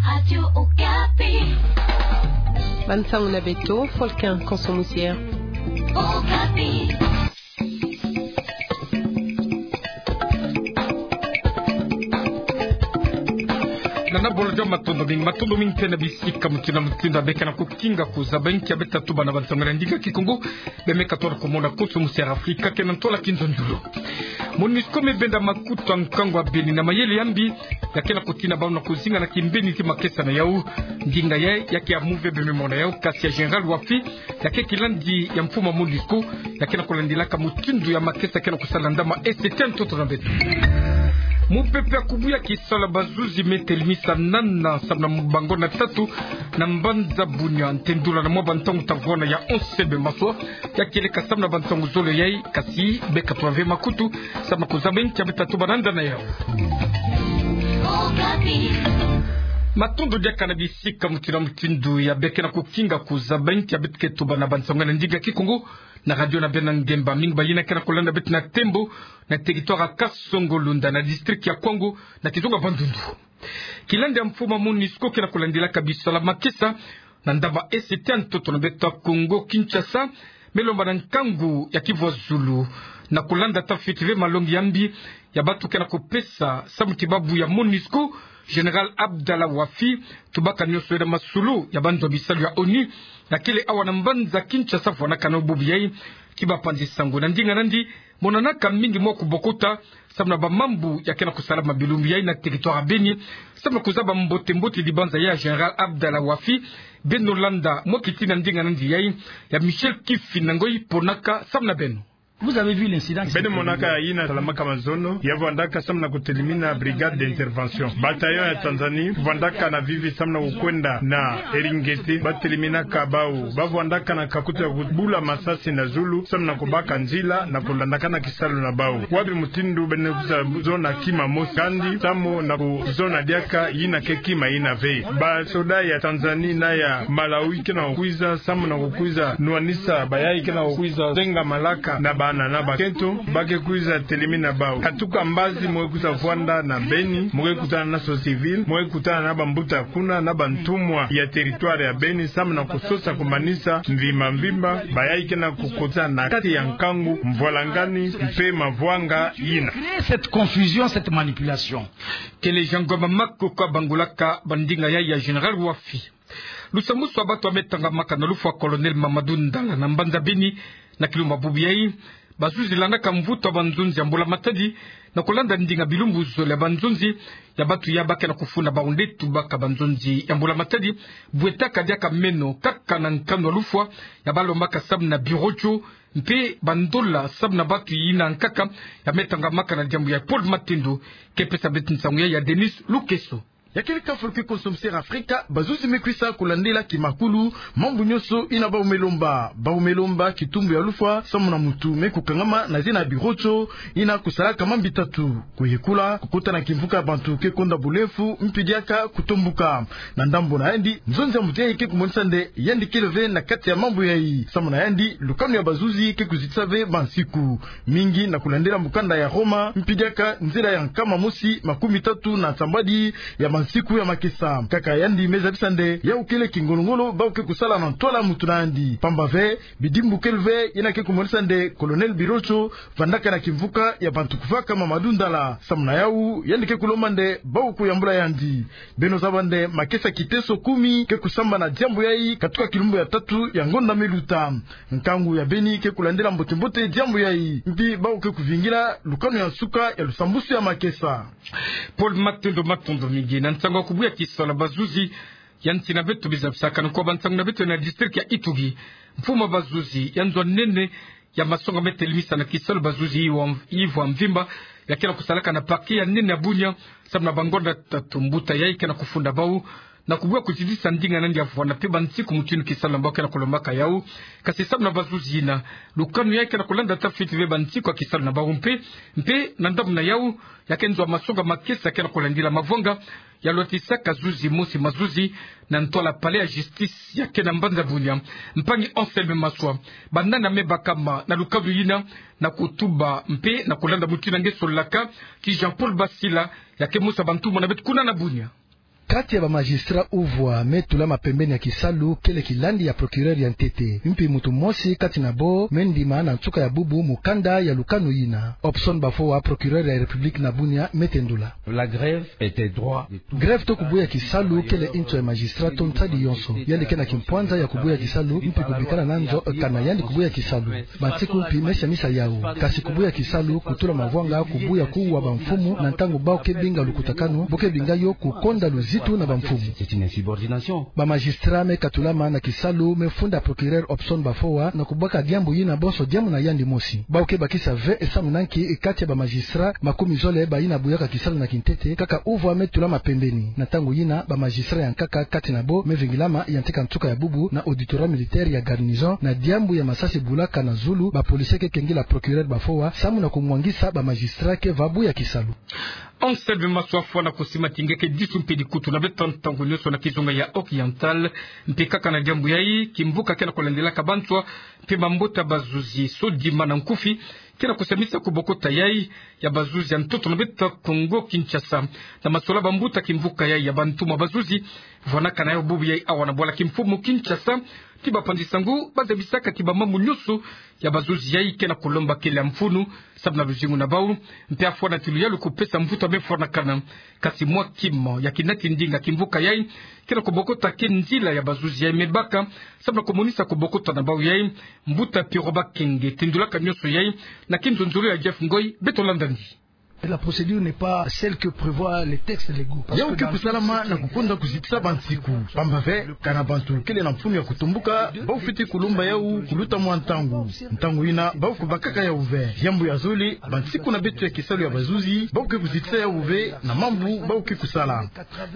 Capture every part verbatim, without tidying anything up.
Radio Okapi. Bansango na beto, Folkin Konso Musier. Okapi. Nana bolojo, matondo mingi, matondo mingi mpe na bisika mutindu na mutindu ya beka na kukinga kuzaba inki ya beta tuba na bansango na ndinga Kikongo. Bemeka tolo kumona Konso Musier Afrika ke na ntola kinzonzolo. MONUSCO mebenda makutu ya nkangu ya Beni na mayele yambi ya ke na kutina bau na kuzinga na kimbeni ti makesa na yau. Ndinga yayi ya ke ya muve bememona yau, kasi ya Général Wafi, ya ke kilandi ya mfumu ya MONUSCO, ya ke na kulandilaka mutindu ya makesa ke na kusala ndama esete ntoto na beto. Mupepe ya kubuya kisalu ya bazuzi me telemisa nana samu na bangonda tatu na mbanza Bunia, ntendula na mwa bantangu ta vwanda ya onse be maswa, ya kieleka samu na bantangu zole yayi, kasi beka twa ve makutu samu na kuzaba inki ya beta tuba na ndana yau. Matondo diaka na bisika mutindu na mutindu ya beka na kukinga kuzaba inki ya beta ke tuba na bansango na ndinga Kikongo na radio na beno na ngemba. Mingi bayina ke na kulanda beto na tembo na territoire ya Kasongo-Lunda na district ya Kwango na kizunga Bandundu. Kilandi ya mfumu ya MONUSCO ke na kulandilaka bisalu ya makesa na ndama esete ntoto na beto ya Kongo Kinshasa, melomba na nkangu ya kivwazulu na kulanda tafiti ve malongi yambi ya bantu ke na kupesa samu ti babu ya MONUSCO, Général Abdallah Wafi, tubaka nionso yena masolo ya banzo ya bisalu ya ONU, ya kele awa na mbanza Kinshasa vwanakana bubu yayi. Ki bapanzi sango na ndinga nandi, monanaka mingi mwa kubokota samu na bamambu ya ke na kusalama bilumbu yayi na territoire ya Beni. Samu na kuzaba mbote-mbote dibanza ya Général Abdallah Wafi, beno landa mwa kiti na ndinga nandi yayi ya Michel Kifi na Ngoyi ponaka samu na beno. Vous avez vu l'incident qui s'est produit. Beno monaka yina salamaka mazono, ya vwandaka samu na kutelimina brigade d'intervention. Bataillon ya Tanzanie vwandaka na vivi samu na kukwenda na Eringeti, bateliminaka bau. Ba vwandaka na kakuta ya kubula masasi na zulu samu na kubaka nzila na kulandakana kisalu na bau. Wapi mutindu beno kwiza zona kima mosi, kandi samu na kuzona diaka yina ke kima yina ve. Basoda ya Tanzanie na ya Malawi ke na kukwiza samu na kukwiza nwanisa bayayi ke na kukwiza zenga malaka na bana na bakento, ba ke kwiza telimina bau. Katuka mbazi mu ke kwiza vwanda na Beni, mu ke kutana na société civile, mu ke kutana na bambuta kuna, na bantumwa ya territoire ya Beni, samu na kusosa kumanisa mvimba-mvimba bayayi ke na kukota na kati ya nkangu, mvwalangani, mpe mavwanga yina. Créer cette confusion, cette manipulation. Kele Jean Ngoma Mako kwa bangulaka bandinga yayi ya Général Wafi. Lusambusu ya bantu ya metangamaka na lufwa, Colonel Mamadou Ndala, na mbanza Beni, na kilumbu ya bubu yayi. Bazuzi landaka mvutu ya banzonzi ya mbula matadi, na kulanda ndinga bilumbu zole ya banzonzi ya bantu ya ba ke na kufunda bau nde tubaka banzonzi ya mbula matadi, bwetaka diaka meno kaka na nkanu ya lufwa, ya balombaka samu na birotio, mpe bandola samu na bantu yina nkaka ya metangamaka na diambu ya Paul Matendo, ke pesa beto nsangu ya, ya Denis Lukeso. Ya kele kafulu ke Konso Musier Afrika, bazuzi me kwisa kulandila kimakulu mambu nionso yina bau me lomba. Bau me lomba kitumbu ya lufwa samu na muntu me kukangama na zina ya birotio yina kusalaka mambi tatu: kuyekula, kukota na kimvuka ya bantu ke konda bulemfu, mpi diaka kutombuka. Na ndambu na yandi, nzonzi ya muntu yayi ke kumonisa nde yandi kele ve na kati ya mambu yayi. Samu na yandi, lukanu ya bazuzi ke kuzitisa ve bansiku mingi na kulandila mukanda ya Roma, mpi diaka nzila ya nkama mosi makumi tatu na nsambwadi ya bansiku ya makesa. Kaka yandi me zabisa nde yau kele kingolo-ngolo bau ke kusala na ntwala muntu na yandi. Pamba ve, bidimbu kele ve yina ke kumonisa nde Colonel Birotio vandaka na kimvuka ya bantu kuvaka Mamadou Ndala. Samu na yau, yandi ke kulomba nde bau kuyambula yandi. Beno zaba nde makesa kiteso kumi ke kusambana diambu yayi katuka kilumbu ya tatu ya ngonda me luta. Nkangu ya Beni ke kulandila mbote-mbote diambu yayi. Mpi bau ke kuvingila lukanu ya nsuka ya lusambusu ya makesa. Paul Matendo, matondo mingi. Na nsangu ya kubuya kisalu ya bazuzi ya nsi na beto, biza bisakana kwa bansangu na beto na district ya Ituri. Mfumu ya bazuzi ya nzo ya nene ya masonga me telimisa na kisalu bazuzi yivwa, yivwa mvimba, ya ke na kusalaka na parquet ya nene ya Bunia, samu na bangonda tatu mbuta yayi ke na kufunda bau, na kubuya kuzidisa ndinga nandi ya vwanda mpe bansiku mutindu kisalu na bau ke na kulombaka yau. Kasi samu na bazuzi yina, lukanu yayi ke na kulanda tafiti ve bansiku ya kisalu na bau mpe, mpe na ndambu na yau, ya ke nzo ya masonga makesa ke na kulandila mavwanga ya lwatisaka zuzi mosi mazuzi na ntwala palais ya justice ya ke na mbanza Bunia, mpangi Anselme Maswa. Banani ya me bakama na lukanu yina, na kutuba mpe na kulanda mutindu nge solaka, ki Jean-Paul Basila, ya ke mosi ya bantumwa na beto kuna na Bunia. Kati ya ba magistrat uvwa me tulama pembeni ya kisalu kele kilandi ya procureur ya ntete. Mpi muntu mosi kati na bo me ndima na nsuka ya bubu mukanda ya lukanu yina. Hobson Bafoa, procureur ya République na Bunia, me tendula. La grève était droit. Grève to kubuya kisalu kele nto ya magistrat to nsadi yonso. Yandi ke na kimpwanza ya kubuya kisalu mpi kubikana na nzo kana yandi kubuya kisalu. Bansiku mpi me siamisa yawu. Kasi kubuya kisalu, kutula mavwanga, kubuya kuwa bamfumu, na ntangu bawu ke binga lukutakanu, bo ke binga yo kukonda luzitu na bamfumu. C'est une insubordination. Ba magistrat me katulama na kisalu me funda procureur Hobson Bafoa na kubaka diambu yina bonso diambu na yandi mosi. Bawu ke bakisa ve e samu na nki kati ya ba magistrat makumi zole bayina buyaka kisalu na kintete, kaka uvwa me tulama pembeni. Na ntangu yina, ba magistrat ya nkaka kati na bo me vingilama ya nteka nsuka ya bubu na auditorat militaire ya garnison na diambu ya masasi bulaka na zulu ba policier ke kengila procureur Bafoa samu na kumwangisa ba magistrat ke va buya kisalu. Anselme Massoua Afwa na kusima ti nge ke disu mpe dikutu na beto ntangu nionso na kizunga ya Oriental. Mpe kaka na diambu yayi, kimvuka ke na kulandilaka banswa mpe mambota bazuzi, SODIMA na nkufi, ke na kusiamisa kubokota yayi ya bazuzi ya ntoto na beto Kongo Kinshasa. Na masola bambuta kimvuka yayi ya bantumwa bazuzi vwanaka na yawu bubu yayi awa na bwala kimfumu Kinshasa, ti bapanzi sangu bazabisaka ti bamambu nionso ya bazuzi yayi ke na kulomba kele ya mfunu samu na luzingu na bawu, mpe afwana ti luyalu kupesa mvutu me fwanakana. Kasi mwa kima ya kinati ndinga kimvuka yayi ke na kubokota ke nzila ya bazuzi yayi me baka samu na kumonisa kubokota na bawu yayi. Mbuta Pierrot Bakenge tendulaka nionso yayi na kinzonzolo ya Jeff Ngoy, beto landa ndi. Et la procédure n'est pas celle que prévoit les textes légaux. Parce que dans le texte... Yawu ke kusalama na kukonda kuzitisa bansiku. Pamba ve, kana bantu kele na mfunu ya kutombuka, bawu fwete kulomba yawu kuluta mwa ntangu. Ntangu yina, bawu kubakaka yawu ve. Diambu ya zole, bansiku na beto ya kisalu ya bazuzi, bawu ke kuzitisa yawu ve na mambu bawu ke kusala.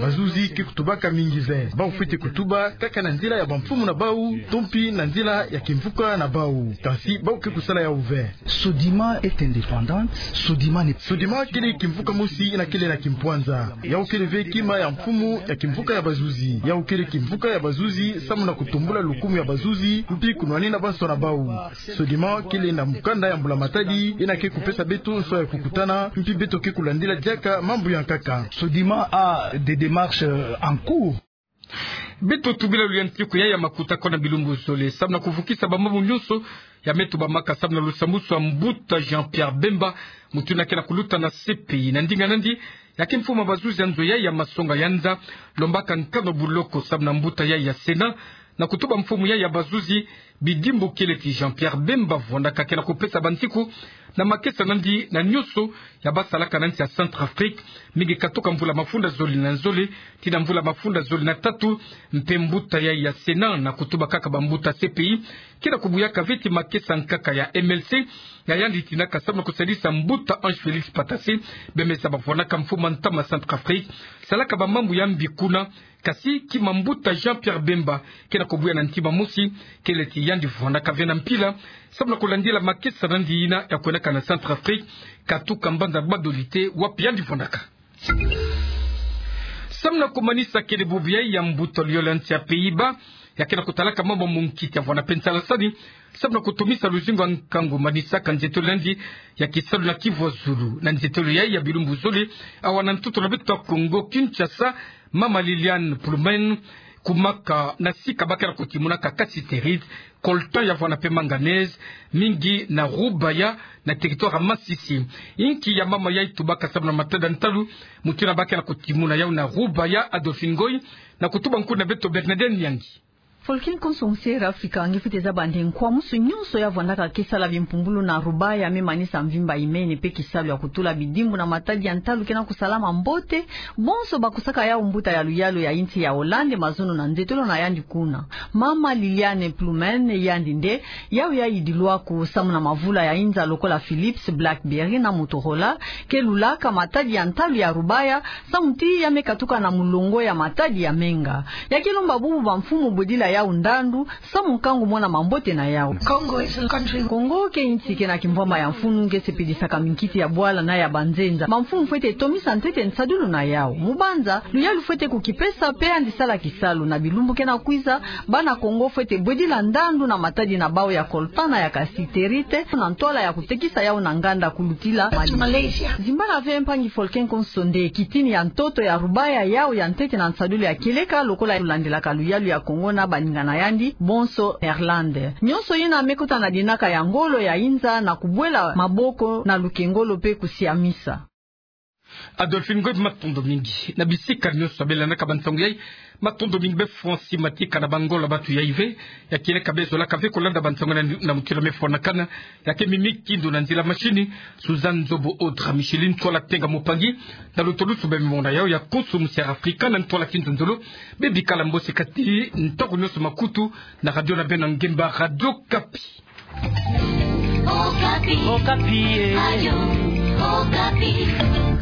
Bazuzi ke kutubaka mingi ve. Bawu fwete kutuba kaka na nzila ya bamfumu na bawu, to mpi na nzila ya kimvuka na bawu. Kasi bawu ke kusala yawu ve. SODIMA est indépendante. SODIMA n'est... SODIMA kele kimvuka mosi yina kele na kimpwanza. Yawu kele ve kima ya mfumu ya kimvuka ya bazuzi. Yawu kele kimvuka ya bazuzi samu na kutombula lukumu ya bazuzi, mpi kunwanina banswa na bawu. SODIMA kele na mukanda ya mbula-matadi yina ke kupesa beto nswa ya kukutana, mpi beto ke kulandila diaka mambu ya nkaka. SODIMA a des démarches, euh, en cours. Beto tubila luyantiku yayi ya makuta ko na bilumbu zole, samu na kuvukisa bamambu nionso ya me tubamaka samu na lusambwasu ya mbuta Jean-Pierre Bemba, muntu yina ke na kuluta na C P I. Na ndinga nandi, ya kimfumu ya bazuzi ya nzo yayi ya masonga ya nza lombaka nkanu buloko samu na mbuta yayi ya Sénat, na kutuba mfumu yayi ya bazuzi bidimbu kele ti Jean-Pierre Bemba vwandaka ke na kupesa bansiku na makesa nandi na nionso ya basalaka na nsi ya Centrafrique, mingi katuka mvula mafunda zole na zole tii na mvula mafunda zole na tatu. Mpe mbuta yayi ya Sénat na kutuba kaka bambuta C P I, ke na kubuyaka ve ti makesa nkaka ya M L C, ya yandi tinaka samu na kusadisa mbuta Ange Félix Patassé, bemesa bavwandaka mfumu ya ntama Centrafrique, salaka bamambu ya mbi kuna. Kasi kima mbuta Jean-Pierre Bemba ke na kubuya na ntima mosi, kele ti yandi vwandaka ve na mpila samu na kulandila makesa nandi yina ya kwendaka na Centrafrique, katuka mbanza Gbadolite wapi yandi vwandaka. Samu na kumanisa kele bubu yayi, ya mbuta luyolo ya nsi ya Pays-Bas, ya ke na kutalaka mambu ya munkiti, avwanda mpe nsalasani samu na kutumisa luzingu ya nkangu, manisaka nzietolo nandi ya kisalu na kivu ya zulu. Na nzietolo yayi ya bilumbu zole, awa na ntoto na beto ya Kongo Kinshasa, mama Liliane Ploumen, kumaka na sika ba ke na kutimunaka cassitérite, coltan ya vwanda mpe manganèse, mingi na Rubaya, na territoire ya Masisi. Inki ya mama yayi tubaka samu na matada ntalu, muntu yina ba ke na kutimuna yawu na Rubaya, Adolphine Ngoy, na kutuba nkundi na beto Bernadette Nyangi. Folkin konso nsi Air Africa nge fwete zaba nde nkwamusu nionso ya vwandaka ke sala bimpumbulu na Rubaya me manisa mvimba imene mpe kisalu ya kutula bidimbu na matadi ya ntalu ke na kusalama mbote. Bonso bakusaka yawu mbuta ya luyalu ya insi ya Hollande, mazono na nzietolo na yandi kuna. Mama Liliane Ploumen, yandi nde, yawu ya yidilwaku samu na mavula ya inza lokola Philips, BlackBerry na Motorola ke lulaka matadi ya ntalu ya Rubaya, samu ti ya me katuka na mulongo ya matadi ya menga. Ya ke lomba bubu bamfumu bodila yau ndandu, samu nkangu mona mambote na yau. Congo is a country. Kongo ke insi ke na kimvwama ya mfunu, nge sepedisaka minkiti ya bwala na ya banzenza. Bamfunu fwete tomisa ntete nsadulu na yau. Mubanza, luyalu fwete kukipesa pe yandi sala kisalu. Na bilumbu ke na kwiza, bana Kongo fwete bwedila ndandu na matadi na bau ya coltan na ya cassiterite, na ntwala ya kutekisa yau na nganda kulutila Mali. Malaysia. Zimbala ve mpangi Folken Konso nde kitini ya ntoto ya rubaya yau ya ntete na nsadulu ya kieleka lokola lulandilaka luyalu ya Kongo na baninga na yandi bonso Irlande. Nyonso yina me kota na dinaka ya ngolo ya inza na kubwela maboko na lukengolo pe kusiamisa. Adolphine Ngoy, matondo mingi. Na bisika nyonso belanaka bansangu yai, matondo mingi be Francis Matika na bangolo bantu yai ve, ya kieleka be zolaka ve kolanda bansangu na, na mutielomefo na kana, ya ke mimi kindu na nzila mashini, Suzanne Nzobo Audra Micheline, ntwala Tenga Mupangi, na lutulusu be mimona yau ya Konso Musiara Afrika, na ntwala Kinzonzolo, be bikala mbosi kati ntoko nyonso makutu, na radio na beno ngemba Radio Okapi. Okapi. Okapi, eh. Radio Okapi.